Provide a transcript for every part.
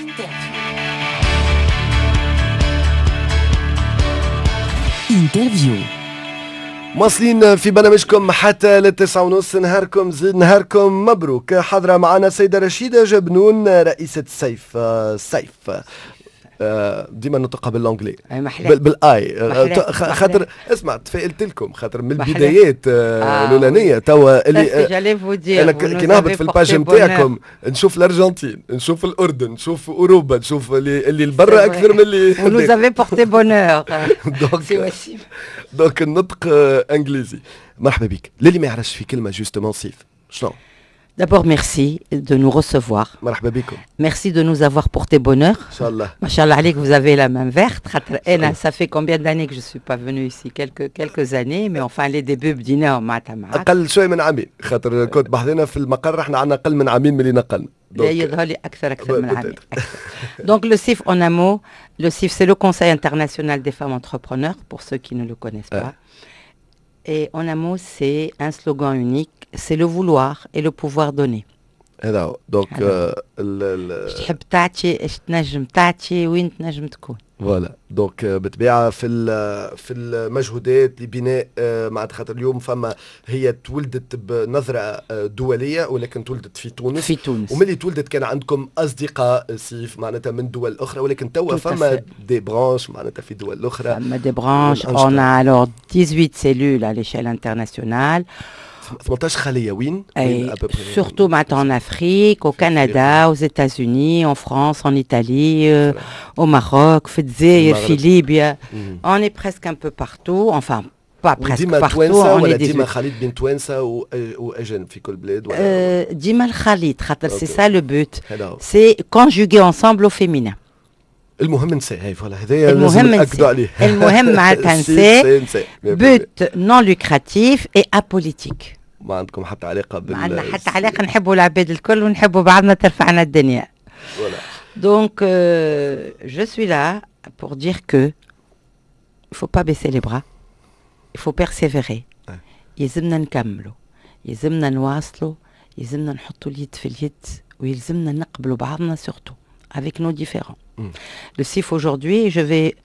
Interview. Interview. مواصلين في برنامجكم حتى لل9:30. نهاركم زين، نهاركم مبروك. حاضرة معنا السيدة رشيدة جبنون، رئيسة سيف. سيف ديما نطقها بال anglais بالاي، خاطر اسمع تفائلت لكم خاطر من البدايات الاولانية توا اللي انا كي نهبط في ال page نتاعكم نشوف الارجنتين، نشوف الاردن، نشوف اوروبا، نشوف اللي البرا اكثر من اللي nous avez porté bonheur. donc donc النطق انجليزي. مرحبا بك. للي ما يعرفش في كلمة justement سيف شنو؟ D'abord, merci de nous recevoir. مرحبا بكم. Merci de nous avoir porté bonheur. إن شاء الله. ما شاء الله عليك, vous avez la main verte. خاطر أنا ça fait combien d'années que je suis pas venue ici؟ Quelques années, mais enfin les débuts بديناهم معناتها معاك. أقل شوي من عامين، خاطر كنت بحذنا في المقر، احنا عندنا أقل من عامين من اللي نقلنا. لا، يظهر لي أكثر من عامين. Donc le CIF en un mot, le CIF c'est le Conseil international des femmes entrepreneurs pour ceux qui ne le connaissent pas. Et en un mot, c'est un slogan unique, c'est le vouloir et le pouvoir donner. هذا هو donc. اش تحب تعطي، اش تنجم تعطي، وين تنجم تكون. voilà، donc بالطبيعة في المجهودات لبناء معناتها خاطر اليوم فما هي تولدت بنظره دولية ولكن تولدت في تونس. في تونس. وملي تولدت كان عندكم اصدقاء سيف معناتها من دول اخرى، ولكن توا فما des branches معناتها في دول اخرى. فما des branches، on a alors 18 cellules à l'échelle internationale. 18 خليه وين؟ وين؟ Surtout معناتها en Afrique, au Canada, aux États-Unis, en France, en Italie, au Maroc, في الجزائر، في ليبيا. On est presque un peu partout, enfin pas presque partout. on est ديما خليط بين توانسة واجانب في كل بلاد؟ ولا ديما الخليط، خاطر c'est ça le but. C'est conjuguer ensemble au féminin. المهم نساء، هاي voilà، هذايا المهم ناكدوا عليه. المهم معناتها نساء، but non lucratif et apolitique. ما عندكم حتى علاقة بال ما عندنا حتى علاقه، نحبوا العباد الكل ونحبوا بعضنا، ترفعنا الدنيا. Donc, je suis là pour dire que il faut pas baisser les bras, il faut persévérer. يلزمنا نكملوا، يلزمنا نواصلوا، يلزمنا نحطوا اليد في اليد، ويلزمنا نقبلوا بعضنا surtout avec nos différends. Le CIF aujourd'hui, je vais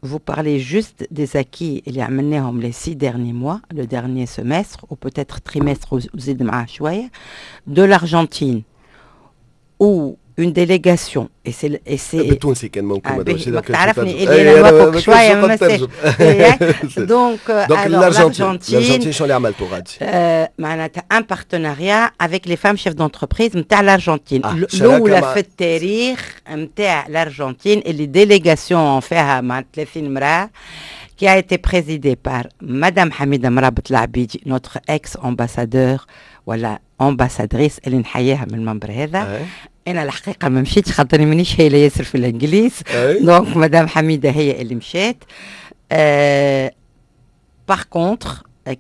vous parler juste des acquis اللي عملناهم les 6 derniers mois, le dernier semestre ou peut-être trimestre وزيد معاه شوية, de l'Argentine où une délégation et c'est بالتونسي كان ممكن. آه تعرفني اللي انا نوافق شوية ما. donc donc الارجنتين، الارجنتين شنو اللي عملتوا غادي؟ معناتها un partenariat avec les femmes chefs d'entreprise نتاع الارجنتين، الاولى في التاريخ نتاع الارجنتين اللي délégation فيها مع 30 امراة qui a été présidée par Madame Hamida Mrabet Labidi, notre ex-ambassadeur ولا ambassadrice اللي نحييها من المنبر هذا. انا الحقيقة ما مشيتش خاطرني مانيش هايلة ياسر في الانجليز، donc مدام حميده هي اللي مشات. Par contre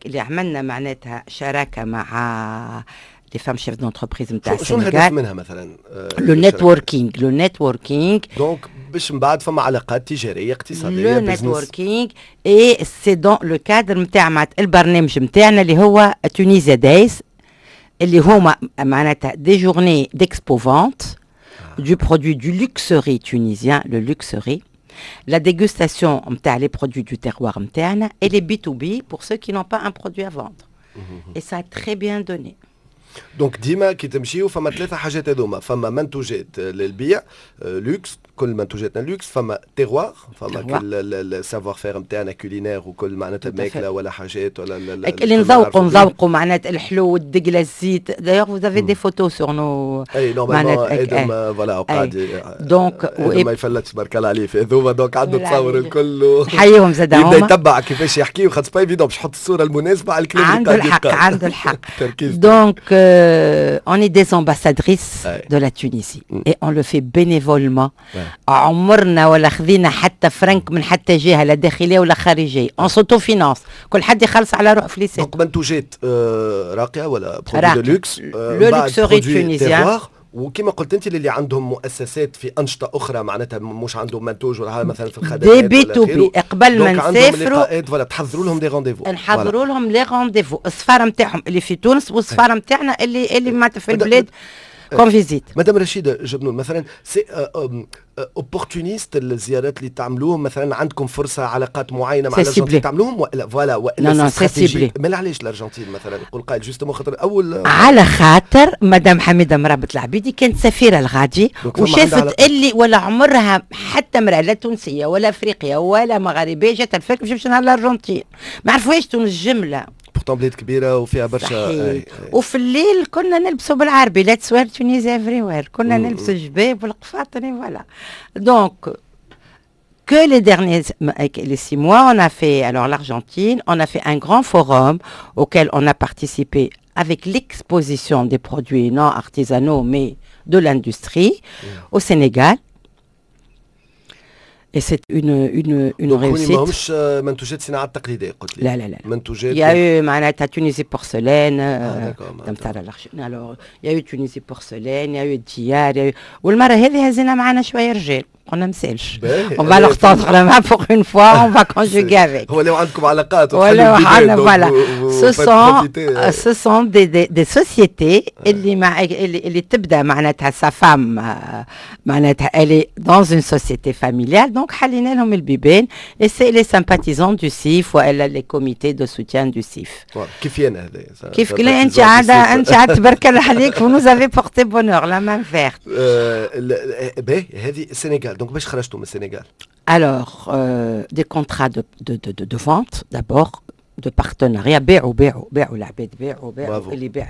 اللي عملنا معناتها شراكة مع les femmes chefs d'entreprise نتاع السنغال. شنو الهدف منها مثلا؟ le networking، le networking. donc باش من بعد فما علاقات تجارية اقتصاديه. le networking et c'est dans le cadre نتاع البرنامج نتاعنا اللي هو Tunisia Days، اللي هما معناتها des journées d'expo-vente du produit du luxe riz tunisien, le luxe riz, la dégustation نتاع les produits du terroir نتاعنا et les B2B pour ceux qui n'ont pas un produit à vendre. Et ça a très bien donné. donc ديما كي تمشيو فما ثلاثة حاجات هذوما: فما منتوجات للبيع لوكس، كل منتوجاتنا لوكس، فما terroir، فما كل ال savoir-faire نتاعنا culinaire وكل معناتها ماكله ولا حاجات ولا اللي نذوقوا معناتها الحلو والدقله، الزيت. d'ailleurs vous avez des photos sur nos اي normalement ادم voilà قاعد donc ما يفلتش، بارك الله عليه في هذوما، donc عنده تصور الكل. نحييهم زاد. يبدا يتبع كيفاش يحكي، وخاطر pas évident باش يحط الصورة المناسبة على الكلام. عنده الحق، عنده الحق. donc on est des ambassadrices de la Tunisie et on le fait bénévolement. عمرنا ولا خذينا حتى فرنك من حتى جهه، لا داخلية ولا خارجيه. on s'autofinance، كل حد يخلص على روحه فليسات. donc منتوجات راقية ولا produits de luxe. le luxe riz tunisien. وكما قلت انت، اللي عندهم مؤسسات في انشطة اخرى، معناتها مش عندهم منتوج ولا مثلا في الخدمات. des B2B، قبل ما نسافروا voilà، تحضروا لهم des rendez-vous. نحضروا لهم les rendez-vous، السفارة نتاعهم اللي في تونس والسفاره نتاعنا اللي معناتها في البلاد. qu'on visite. مدام رشيدة جبنون، مثلا c'est opportuniste الزيارات اللي تعملوهم؟ مثلا عندكم فرصه، علاقات معينة مع الارجنتين تعملوهم ولا voilà ولا non non، c'est ciblé. ما علاش الارجنتين مثلا؟ يقول قائل justement خاطر اول على خاطر مدام حميده مرابط العبيدي كانت سفيره الغادي وشافت اللي ولا عمرها حتى امراة لا تونسية ولا افريقية ولا مغاربيه جات الفرق باش نهار الارجنتين، ما عرفوهاش تونس جمله. pourtant بلاد كبيرة وفيها برشا. وفي الليل كنا نلبسوا بالعربي let's wear Tunisia everywhere، كنا نلبسوا الجباب والقفاطن، voilà. donc que les derniers les 6 mois, on a fait alors l'Argentine, on a fait un grand forum auquel on a participé avec l'exposition des produits non artisanaux mais de l'industrie au Sénégal. Et c'est une réussite. ماهمش منتوجات صناعة التقليدية قلت لي؟ لا لا لا. منتوجات Il y a eu معناتها Tunisie Porcelaine. Alors il y a eu Tunisie Porcelaine, il y a eu ديار، il y a eu، والمرة هذه هزينا معنا شوية رجال، قلنا مسالش، on va leur tendre la main pour une fois، on va conjuguer avec. هو لو عندكم علاقات. ولا عندنا، voilà، ce sont des sociétés اللي مع اللي تبدا معناتها sa femme معناتها elle est dans une société familiale، donc حلينا لهم البيبان et c'est les sympathisants du CIF والا les comités de soutien du CIF. كيف انا هذا؟ كيف لا، انت عاد انت عاد تبارك الله عليك، vous nous avez porté bonheur، la main verte. باهي، هذه السنغال، donc باش خرجتوا من السنغال؟ Alors, des contrats de vente d'abord، de partenariat، بيعوا بيعوا بيعوا العباد، بيعوا بيعوا اللي بيع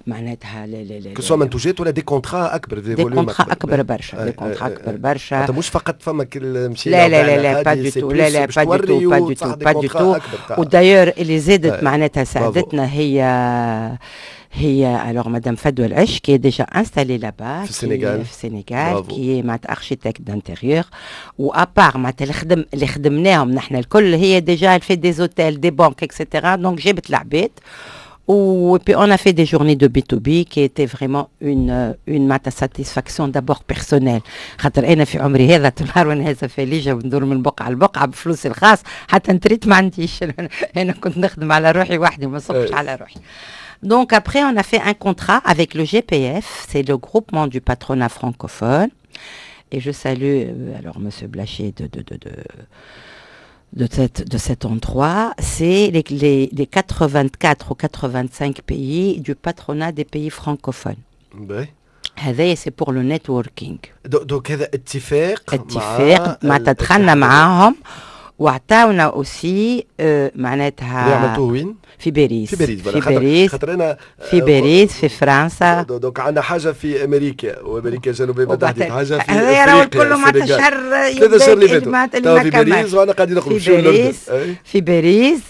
معناتها que ce soit منتوجات ولا des contrats اكبر؟ des contrats اكبر برشا، des contrats اكبر برشا. مش فقط فما كل مشي. لا لا لا لا، pas du tout، لا لا، pas du tout، pas du tout، pas du tout. و d'ailleurs اللي زادت معناتها ساعدتنا هي alors madame Fadwa El qui est déjà installée là-bas. في السنغال. في السنغال، qui est معناتها architecte d'intérieur، و à part معناتها اللي خدمناهم نحن الكل، هي déjà elle fait des hôtels، des banques، et cetera، donc جابت العباد و puis on a fait des journées de B2B qui étaient vraiment une satisfaction d'abord personnelle، خاطر انا في عمري هذا نهار وانا هذا فاليجه وندور من بقعة لبقعه بفلوسي الخاص، حتى نتريت ما عنديش، انا كنت نخدم على روحي وحدي وما نصبش على روحي. Donc après, on a fait un contrat avec le GPF, c'est le groupement du patronat francophone. Et je salue alors Monsieur Blaché de cet endroit, c'est les 84 ou 85 pays du patronat des pays francophones. هذا c'est pour le networking. donc هذا اتفاق؟ اتفاق مع تدخلنا معاهم وعطاونا aussi معناتها. عملتوه وين؟ في باريس. في باريس. في باريس. خاطر انا في باريس، في فرنسا. donc عندنا حاجة في امريكا وامريكا الجنوبية بالتحديد، حاجة في افريقيا، كله معناتها شهر. 3 شهور اللي فاتوا في باريس، وانا قاعدين نخرج في باريس. في باريس،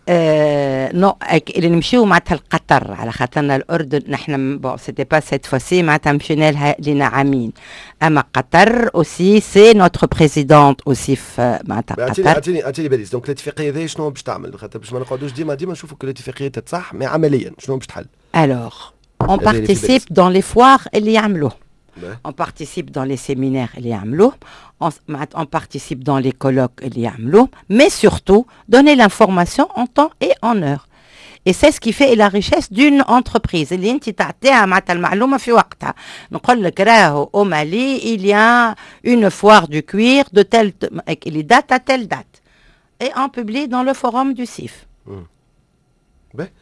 non، اللي نمشيو معناتها لقطر على خاطرنا الاردن نحن bon c'était pas cette fois-ci، معناتها مشينا لها لنا عامين، اما قطر aussi c'est notre présidente aussi في معناتها قطر. اعطيني اعطيني باريس، donc الاتفاقية هذه شنو باش تعمل؟ خاطر باش ما نقعدوش ديما ديما نشوفوا كل الاتفاقيات تصح، mais عمليا شنو باش تحل؟ alors on participe dans les foires اللي يعملوه، on participe dans les séminaires اللي يعملوه، on participe dans les colloques اللي يعملوه، mais surtout donner l'information en temps et en heure. Et c'est ce qui fait la richesse d'une entreprise اللي انت تعطيها معناتها المعلومة في وقتها. نقول لك راهو au Mali il y a une foire du cuir de telle les date à telle date. Et on publie dans le forum du CIF.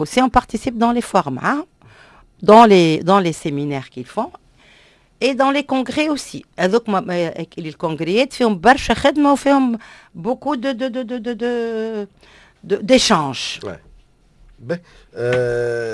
Aussi on participe dans les foires معاهم، dans les séminaires qu'ils font et dans les congrès aussi. هذوك ال congrès فيهم برشا خدمة وفيهم beaucoup de d'échanges. باهي،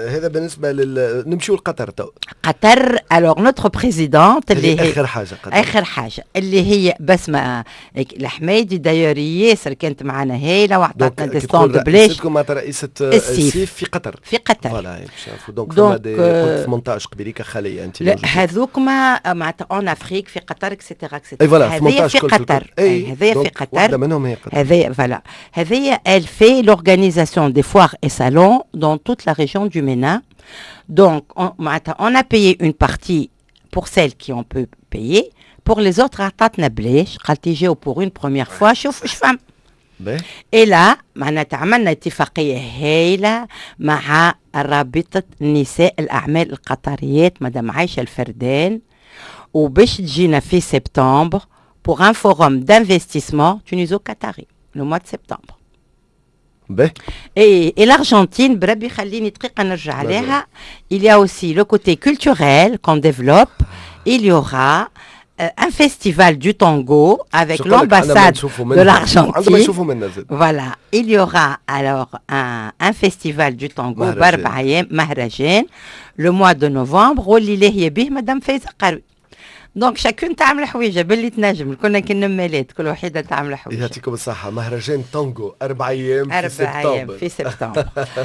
هذا بالنسبة لل نمشيو لقطر تو. قطر، alors notre présidente اللي هي اخر حاجه. قطر اخر حاجة اللي هي بسمه الحمايدي، d'ailleurs ياسر كانت معنا هايلة وعطاتنا des stands بلاش. مع رئيسه السيف في قطر. في قطر. voilà، donc فما des 18 قبيليك خليه انت. لا، هذوك ما معناتها en Afrique، في قطر et cetera et cetera. اي voilà. هذه في قطر، هذه في قطر. واحدة منهم هي قطر. هذه voilà، هذه elle fait l'organisation des foires et salons dans toute la région du MENA. Donc, on a payé une partie pour celles qui ont pu payer. Pour les autres, عطاتنا بلاش، قالت جاو pour une première fois، شوف اش فهم. Et là معناتها عملنا اتفاقية هايلة مع رابطة نساء الأعمال القطريات، مدام عايشة الفردان، وباش تجينا في septembre pour un forum d'investissement tuniso-qatari le mois de septembre. باهي. Et l'Argentine, بربي خليني دقيقة نرجع عليها. Il y a aussi le côté culturel qu'on développe. Il y aura un festival du tango avec l'ambassade de l'Argentine. Voilà, il y aura alors un festival du tango بأربع أيام مهرجان le mois de novembre واللي لاهية به مدام فايزة قروي. donc chacune تعمل حويجه باللي تنجم، كنا كي النمالات، كل وحيده تعمل حويجه. يعطيكم الصحه، مهرجان تانجو 4 ايام. في سبتمبر. 4 ايام في سبتمبر.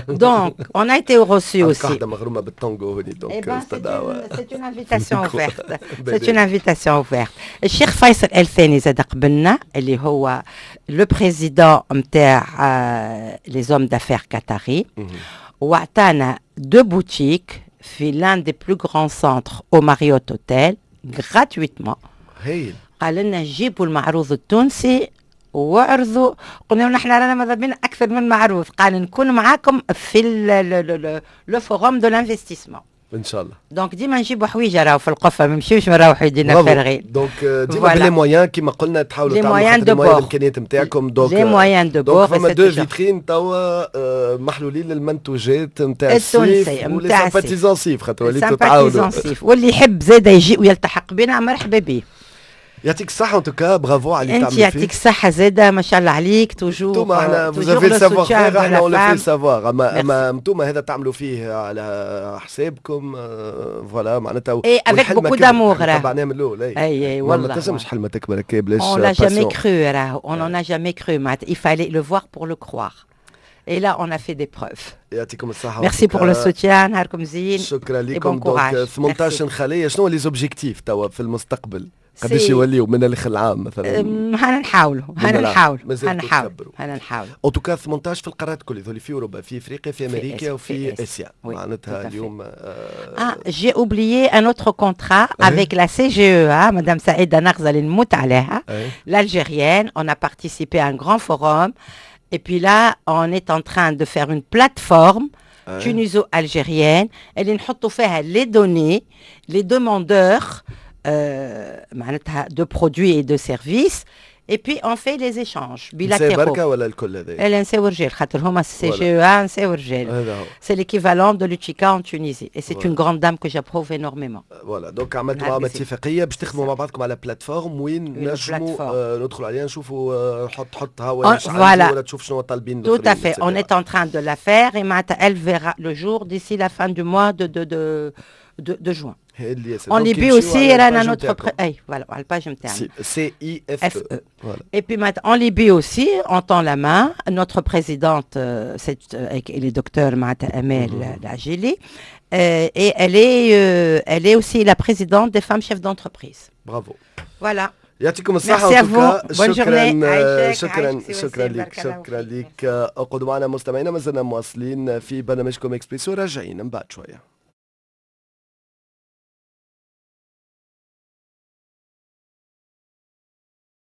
donc on a été reçus aussi. واحدة مغرومه بالتانجو هوني. donc c'est une invitation ouverte، c'est une invitation ouverte. الشيخ فيصل الثاني زاد قبلنا، اللي هو le président نتاع les hommes d'affaires qataris، وعطانا deux boutiques في l'un des plus grands centres au Marriott Hotel gratuitement. هايل. قال لنا جيبوا المعروض التونسي وعرضوا. قلنا له نحن رانا ماذا بينا اكثر من معروض. قال نكون معاكم في le forum de l'investissement. ان شاء الله. donc ديما نجيبوا حويجه راهو في القفه، ما نمشيوش نروحوا يدينا فارغين. donc ديما ب les moyens كيما قلنا تحاولوا تعملوا les moyens الامكانيات نتاعكم. donc les moyens de bord. فما deux vitrines توا محلولين للمنتوجات نتاع التونسي. نتاع sympathisants سيف، خاطر وليتوا تعاونوا. واللي يحب زاده يجي ويلتحق بنا مرحبا به. يعطيك الصحة، en tout cas bravo على اللي انت يعطيك الصحة زادة، ما شاء الله عليك toujours. انتوما احنا vous avez le savoir-faire، احنا on le fait savoir، اما انتوما هذا تعملوا فيه على حسابكم، voilà معناتها. et avec beaucoup d'amour. تبعناه من الاول. اي اي والله. ما تنجمش حلمة تكبر هكا بلاش. On l'a jamais cru راهو، on en a jamais cru معناتها، il fallait le voir pour le croire. Et là, on a fait des preuves. يعطيكم الصحة. Merci pour le soutien، نهاركم زين. شكرا لكم. donc 18 خلية، شنو les objectifs توا في المستقبل؟ قداش يوليو من الاخر العام مثلا؟ هانا نحاولوا، هانا نحاولوا، هانا نحاولوا، هانا نحاولوا. en tout cas 18 في القارات الكل هذول، في اوروبا، في افريقيا، في امريكا وفي اسيا معناتها اليوم. اه j'ai oublié un autre contrat avec la CGEA، madame سعيدة نغزل نموت عليها، l'algérienne. on a participé à un grand forum et puis là on est en train de faire une plateforme tuniso-algérienne اللي نحطوا فيها les données، les demandeurs معناتها de produits et de services، et puis on fait les échanges bilatéraux. بركة ولا الكل هذا؟ لا، نساو رجال، خاطر هما CGEA نساو رجال. C'est l'équivalent de l'UTICA en Tunisie et c'est une grande dame que j'approuve énormément. voilà، donc عملتوا معاهم اتفاقية باش تخدموا مع بعضكم على plateforme وين نجموا ندخلوا عليها نشوفوا حط حطها ولا ولا تشوف شنو طالبين. Tout à fait, on est en train de la faire et معناتها elle verra le jour d'ici la fin du mois de juin. En Libye aussi, رانا notre اي voilà على ال page نتاعنا. C I F E. Et puis maintenant, en Libye aussi, on tend la main. Notre présidente, c'est le docteur معناتها Amel Lajili, et elle est aussi la présidente des femmes chefs d'entreprise. Bravo. Voilà. يعطيكم الصحة. Merci à vous. Bonne شكرا شكرا شكرا لك، شكرا لك. اقعدوا معنا مستمعينا، مازلنا مواصلين في برنامجكم اكسبريسو، راجعين من بعد شوية.